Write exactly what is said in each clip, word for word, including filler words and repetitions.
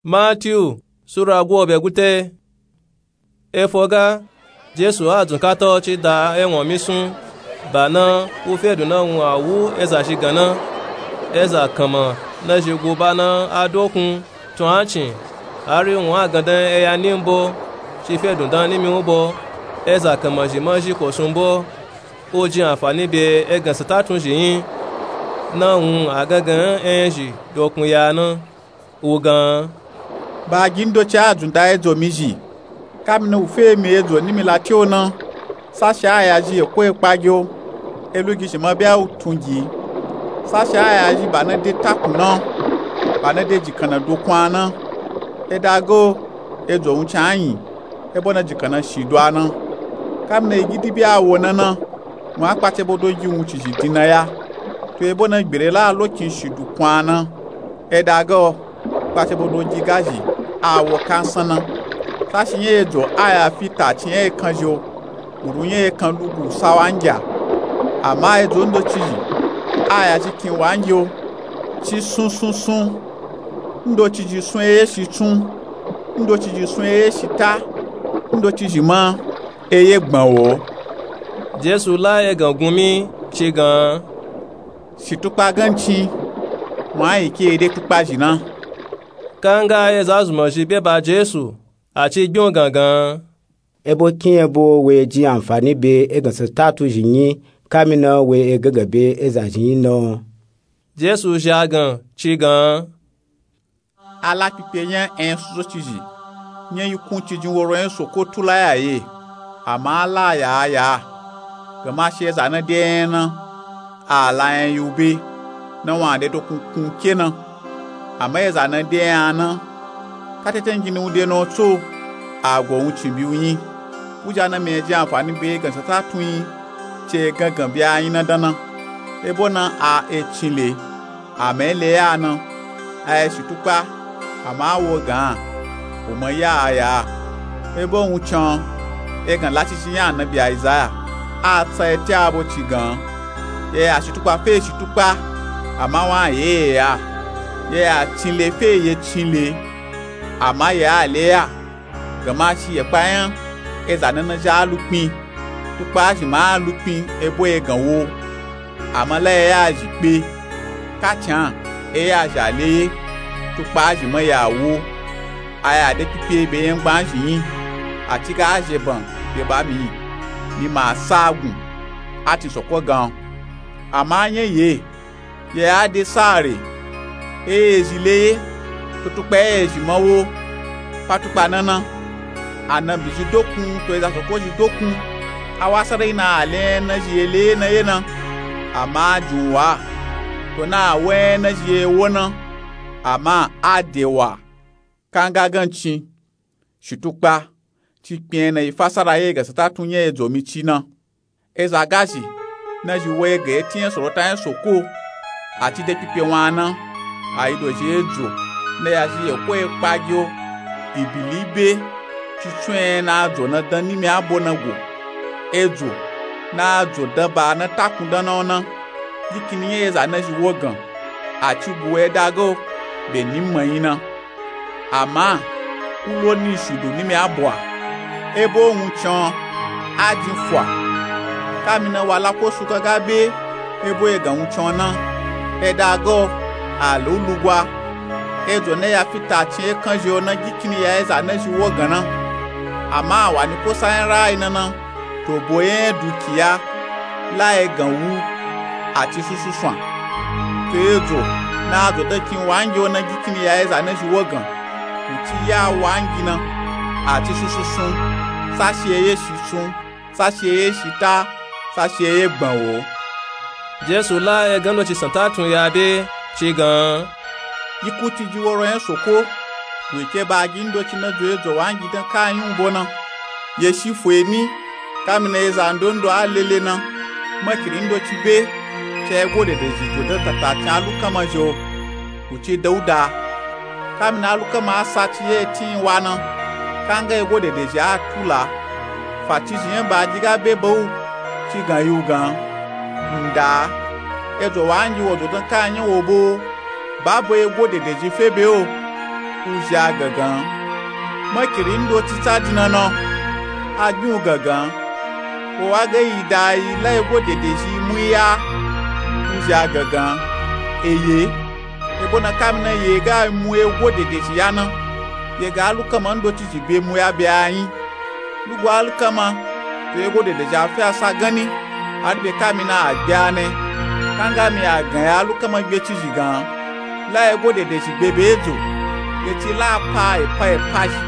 Matiyu sura gwobe gute. Efo ga, Jesu a dzun kata o ci da ewon mi sun. Ba na, u fe dun na wun a wu eza zhi gan na. Eza kanma na zhi gu ba na a dokun tun a cin, hari wun a gandan eya nimbo ci fe dun dan nimi u bo. Eza kanma zhi ma zhi ko sun bo, u jin anfani be egan sata tun zhi yin. Na wun a gangan eyan zhi dokun ya na. U gan, ba gi ndoci a dzun da edzo mi zhi. Kamina u fe mi edzo nimi lati o na, sashi a ya zhi eko ekpa gi o, e lu gi zhi ma bya u tun gi. Sashi a ya zhi ba na de takun na, ba na de jikanna dokun a na. E da ga o, edzo wun can a yin, ebo na jikanna shi do a na. Kamina yi gidi bya wo na na, wun a kpace bodo gi wun ci zhi din na ya. To ebo na gbere la lokin shi dukun a na. E da ga o, kpace bodo gi ga zhi a wo kansan na. Sashi nya edzo a ya fi ta ci nya ekan zhi o, muru nya ekan lugu sawangi a. Ama edzo ndoci zhi a ya zhi kin wangi o, ci sun sun sun. Ndoci zhi sun eye shi tsun, ndoci zhi sun eye shi ta, ndoci zhi ma eye gban wo. Jesu la egan gun mi ci gan, shi tukpa gan cin, wun a yi ke e de tukpa zhi na. Kanga eza zunmọ zhi be ba Jesu, a ci gbion gangan, ebo kin ebo we jin anfani be egan sata tun zhi yin, kamina we egangan be eza zhi yin na. Jesu zha gan ci gan, a la pipe nya en suso ci zhi, nya yi kun ci jin woro en soko tula ya ye, ama a la ya a ya. Gama shi eza na de en na, a la en yi u be, na wun a de dokun kun ke na. Ama eza na de en a na, ka teten gini u de na o tso, a go wun cin bi u yin. Uja na mi e jin anfani be egan sata tun yin, ci egangan be a yin na dan na. Ebo na a e cin le, ama e le ya na, a e shi tukpa, ama a wo gan, u ma ya a ya. Ebo wun can, egan lacici nya anabi Aizaya a tsa eti abo ci gan, ye ya shi tukpa fe shi tukpa, ama wun a ye ye ya. Ye ya cin le fe ye cin le, ama ye a le ya. Gama shi ye kpa nya eza na na zhi a lukpin, tukpa zhi ma a lukpin ebo egan wo. Ama la ye ya zhi kpe, ka can e ya zhi a le ye, tukpa zhi ma ya wo. A ya de pipe be yangban zhi yin, a ci ga a zhe ban be ba mi, mi ma sa gun, a tin soko gan. Ama nya ye, ye a de sa re, e ye zhi le ye, to tukpa e ye zhi ma wo. Pa tukpa na na, anabi zhi dokun to eza soko zhi dokun, a wa sarai na a le en na zhi ye le ye na ye na. Ama a jin u wa, to na a wo en na zhi ye wo na, ama a de wa. Kanga gan cin, shi tukpa, ci kpin en na yi fasara ye egan sata tun nya edzo mi ci na. Eza ga zhi na zhi wo egan eti nya sorota nya soko, a ci de pipe wun a na, a yi dozhi edzo na ya zhi eko ekpa gi o. Ibili be ci tsun en na adzo na dan nimi abo na go. Edzo na adzo dan ba na takun dan na o na, gikini nya eza na zhi wo gan, a ci gu wo e da ga o, be ni ma yin na. Ama u lo ni shudu nimi abo a, ebo wun can a jin fua. Kamina wa la ko su gaga be ebo egan wun can na, e da ga o, a lo u lugwa. Edzo na ya fi ta cin ekan zhi o na gikini ya eza na zhi wo gan na. Ama a wa ni kosa nya raayi na na, to bo nya dukiya la egan wu, a ci susu swan. To edzo na adzo dan kin wangi o na gikini ya eza na zhi wo gan, u ci ya wangi na, a ci susu sun, sashi eye shi sun, sashi eye shi ta, sashi eye gban wo. Jesu la egan ndoci santa tun ya be ci gan, yi ku ci ji woro nya soko, we ke ba gi ndoci na dzo edzo wangi dan ka yin u bo na. Ye shi fo emi, kamina eza ndondo a lele na, makiri ndoci be, ca ego dede zhi dzo dan tata cin alukama zhi o, u ci dauda. Kamina alukama a sa ci ye eti yin wa na, kanga ego dede zhi a tula. Fa ci zhi nya ba gi ga be ba u, ci gan yi u gan, nda, edzo wangi wo dzo dan ka nya wo bo, ba bo ego dede zhi fe be o. Wuzhi a gangan, makiri ndoci tsa dinana, a gbiwu gangan, wo wa ga yi da yi la ego dedezhi muyi ya. Wuzhi a gangan, eye, ebo na kamina ye ga mu ego dedezhi ya na, ye ga alukama ndocizhi be mu ya be a nyi. Lugu alukama, to ego dedezhi a fe a sa ganni, hari be kamina a gbe a ne. Kanga mi a gan ya alukama gbecizhi gan, la ego dedezhi gbe be edzo, ye ci la a pa epa epa zhi,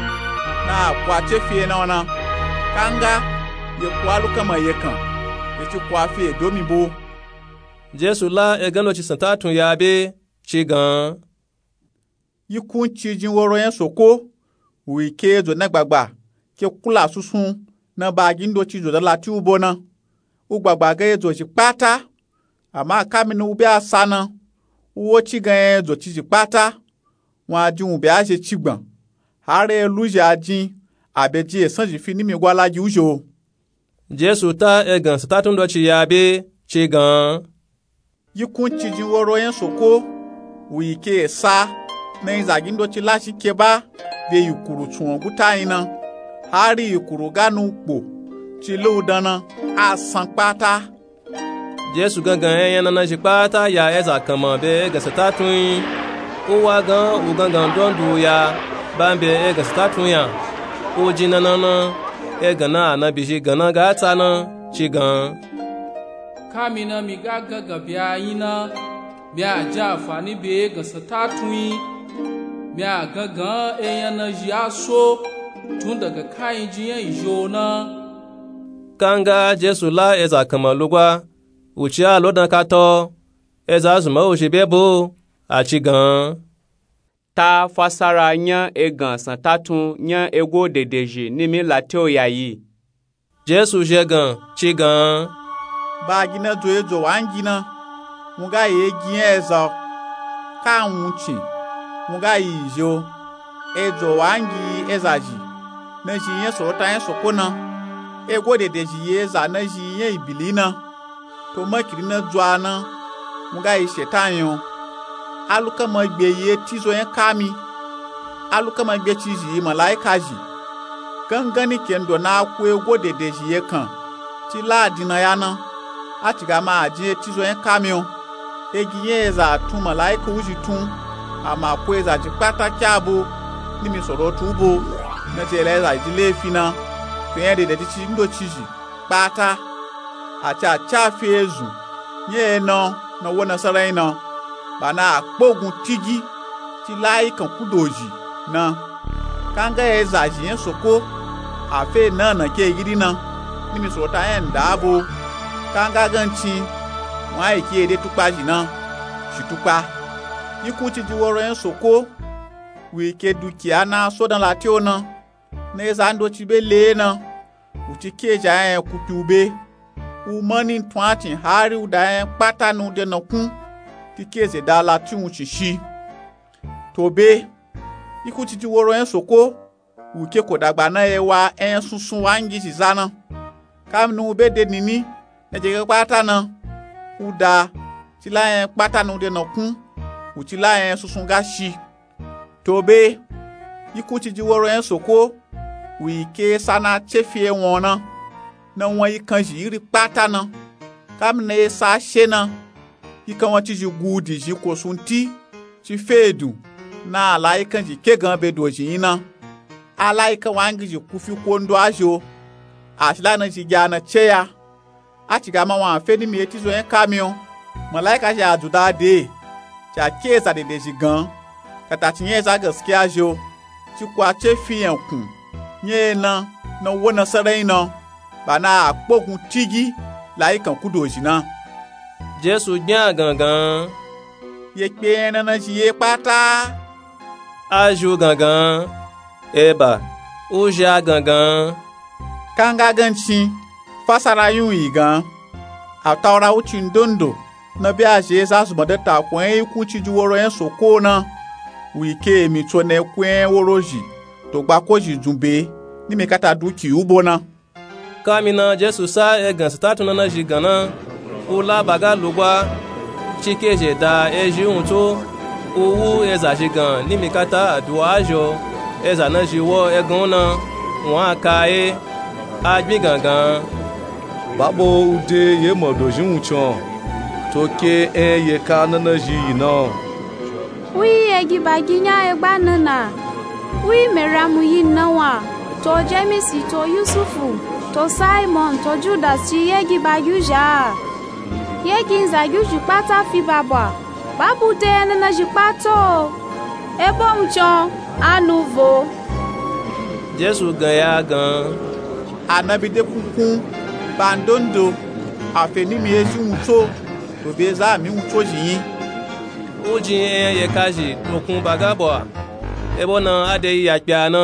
na a ku a ce fi ye na wo na. Kanga, ye ku alukama ye kan, ye ci ku a fi edo mi bo. Jesu la egan ndoci santatun ya be, ci gan. Yi kunciji woro nya Soko, wu yi ke edzo na gbagba, ke kula sunsun, na bagi ndoci dzo da lati u bo na. U gbagba ga edzo zhi kpata, ama kamina u be a sa na, u wo ci gan nya edzo cizhi kpata, wun a jin wun be a zhe cigban, hari eluzhi a jin, a be jin esan zhi fi nimi gwa lagi u zho. Jesu ta egan santatun ndoci ya be, ci gan. Yi kunciji woro nya Soko, wu yi ke esa, na yi zagi ndoci la shi keba, be yikuru tsunwo guta nyi na, hari yikuru ga nu kpo, ci la u dan na, a san kpata. Jesu gangan enya nana zhi kpata ya eza kanma be egan santatun nyi. U wa gan u gangan ndondu ya, ba mbe egan santatun nya. U jin nana na, egan na anabi zhi gan na ga tsa na, ci gan. Kamina mi ga gangan be a nyi na, mi a jin anfani be egan santatun nyi, mi a gangan enya na zhi a so, tun daga kayin jin nya izho na. Kanga Jesu la eza kanma lugwa, wu ci a lo dan kata, eza zunma u zhi be bo, a ci gan. Ta fasara nya egan santatun nya ego dedezhi nimi lati u ya yi. Jesu zhe gan, ci gan. Bagi na dzo edzo wangi na, wun ga yi egi nya eza, ka wuncin, wun ga yi izho, edzo wangi eza zhi, na zhi nya sorota nya Soko na, ego dedezhi yi eza na zhi nya ibili na. To makiri na dzuwa na, wun ga yi shetan yo. Alukama gbe yi etizo nya kami, alukama gbecizhi yi malaika zhi. Gangan ni kendo na a ku ego dedezhi ye kan, ci la a dinna ya na, a ci ga ma a jin etizo nya kami o. Egi nya eza a tun malaika u zhi tun, ama ku eza zhi kpata kya bo, nimi sorotu u bo, na ci la eza zhi lefi na, to nya dedezhi ci ndocizhi kpata, a ci a ca fi ezun nya ena na wo na sarai na, ba na a kpogun tigi, ci la ayikan ku dozhi na. Kanga eza zhi nya Soko, a fe na na ke gidi na, nimi sorota nya nda bo. Kanga gancin, wun a yi ke ede tukpa zhi na, shi tukpa. Yi kunciji woro nya Soko, wu yi ke dukiya na a so dan lati u na, na eza ndoci be le na, wu ci ke zhi a nya nya kukpi u be. U mani tun a cin hari u da nya nya kpata na u de na kun, ti ke ze da lati wuncin shi. To be, yi kunciji woro nya Soko, wu ke ko dagba na ye wa enya sunsun wangi zhi za na. Kamina u be de nini, na je ga kpata na, u da, ci la nya nya kpata na u de na kun, wu ci la nya nya sunsun ga shi. To be, yi kunciji woro nya Soko, wu yi ke esa na a ce fi ewon na, na won yikan zhi iri kpata na. Kamina esa she na, yikan won cizhi gudi zhi ko sunti, ci fe edun, na alayikan zhi ke gan be dozhi nyi na. Alayikan wangi zhi ku fi kondo a zho, a shi la na zhi gya na ce ya. A ci ga ma wun a fe nimi etizo nya kami o. Malaika zhi a dzu da de, ci a ke eza dedezhi gan, kata ci nya eza gaskiya zho, ci ku a ce fi yankun nya ena na wo na sarai na, ba na a kpogun tigi la ayikan ku dozhi na. Jesu gbinya gangan. Ye kpe enya nana zhi ye kpata? A zhi u gangan. Eba, u zhi a gangan. Kanga gancin, fasara yin u yi gan. Ataura wucin ndondo na be a zhi eza zunma da tako nya yi kunciji woro nya Soko na, wu yi ke emitso na eku nya woro zhi, to gbako zhi dzun be, nimi kata duki u bo na. Kamina Jesu sa egan santatun nana zhi gan na, u la ba ga lugwa, ci ke zhe da ezhi wun tso, U wu eza zhi gan nimi kata aduwa zhi o. Eza na zhi wo egan u na wun a ka ye a gbin gangan. Ba bo u de ye modo zhi wuncin o. To ke en ye ka na na zhi yi na o. Wi ye gi ba gi nya egba na na? Wi meramu yi na wa? To jemisi to yusufu to simon to judas ci ye gi ba gi u zha a? Ye gi nza gi u zhi kpata fi ba bwa? Ba bu de ye na na zhi kpata o. Ebo wuncin o a nu vo. Jesu gan ya gan. Anabi de kunkun ba ndondo a fe nimi ye zhi wuntso. To be za a mi wuntso zhi yin. U jin eyan ye ka zhi to kun ba ga bwa? Ebo na a de yi ya kpe a na.